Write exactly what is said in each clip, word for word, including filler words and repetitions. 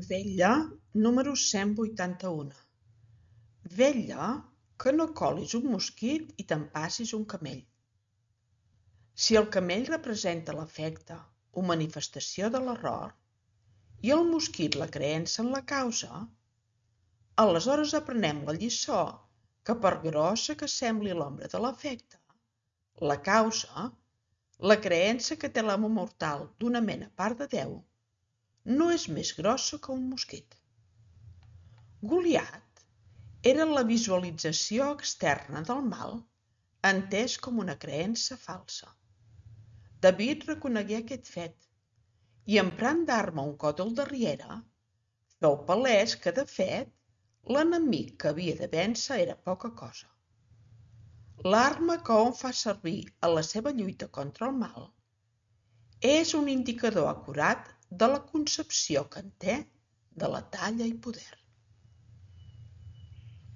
Vetlla número cent vuitanta-u. Vetlla que no colis un mosquit i t'empassis un camell. Si el camell representa l'efecte o manifestació de l'error i el mosquit la creença en la causa, aleshores aprenem la lliçó que per grossa que sembli l'ombra de l'efecte, la causa, la creença que té l'home mortal d'una mena part de Déu, no és més grossa que un mosquit. Goliat era la visualització externa del mal entès com una creença falsa. David reconegué aquest fet i, emprant d'arma un còdol de riera, feu palès que, de fet, l'enemic que havia de vèncer era poca cosa. L'arma que hom fa servir a la seva lluita contra el mal és un indicador acurat de la concepció que en té de la talla i poder.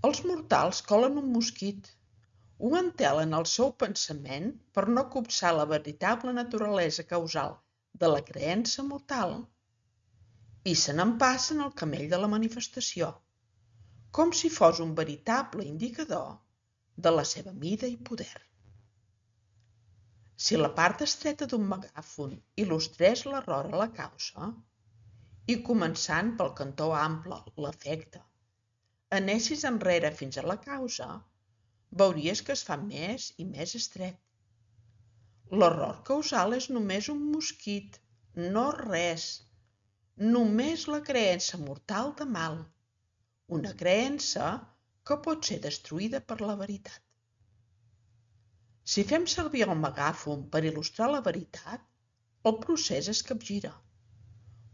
Els mortals colen un mosquit, ho entelen al seu pensament per no copsar la veritable naturalesa causal de la creença mortal i se n'empassen el camell de la manifestació, com si fos un veritable indicador de la seva mida i poder. Si la part estreta d'un megàfon il·lustrés l'error a la causa, i començant pel cantó ample, l'efecte, anessis enrere fins a la causa, veuries que es fa més i més estret. L'error causal és només un mosquit, no res, només la creença mortal de mal, una creença que pot ser destruïda per la veritat. Si fem servir el megàfon per il·lustrar la veritat, el procés es capgira.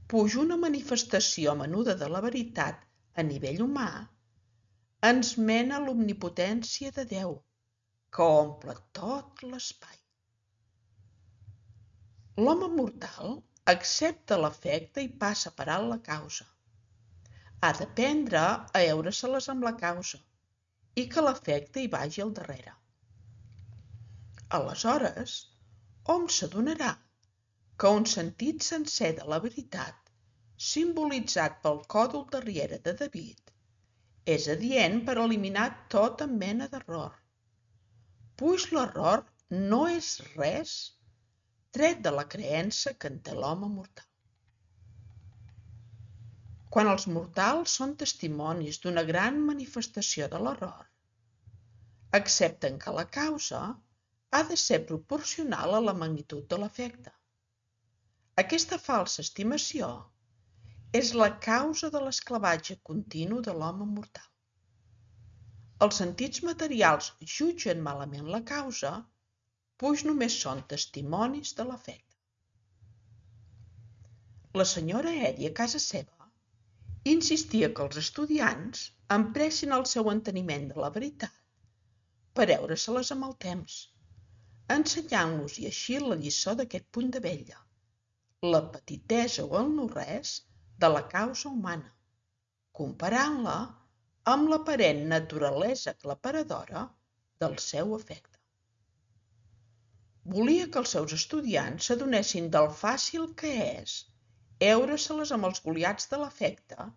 Puja una manifestació menuda de la veritat a nivell humà ens mena a l'omnipotència de Déu, que omple tot l'espai. L'home mortal accepta l'efecte i passa per alt la causa. Ha d'aprendre a heure-se-les amb la causa i que l'efecte hi vagi al darrere. Aleshores, hom s'adonarà que un sentit sencer de la veritat, simbolitzat pel còdol de riera de David, és adient per eliminar tota mena d'error, puix l'error no és res tret de la creença que en té l'home mortal. Quan els mortals són testimonis d'una gran manifestació de l'error, accepten que la causa ha de ser proporcional a la magnitud de l'efecte. Aquesta falsa estimació és la causa de l'esclavatge continu de l'home mortal. Els sentits materials jutgen malament la causa, puix només són testimonis de l'efecte. La senyora Edi, a casa seva, insistia que els estudiants empressin el seu enteniment de la veritat per heure-se-les amb el temps, ensenyant-los i així la lliçó d'aquest punt de vetlla, la petitesa o el no-res de la causa humana, comparant-la amb l'aparent naturalesa aclaparadora del seu efecte. Volia que els seus estudiants s'adonessin del fàcil que és heure-se-les amb els goliats de l'efecte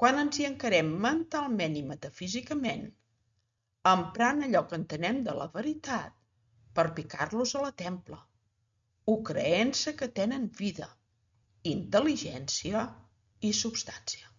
quan ens hi encarem mentalment i metafísicament, emprant allò que entenem de la veritat per picar-los a la templa, o creença que tenen vida, intel·ligència i substància.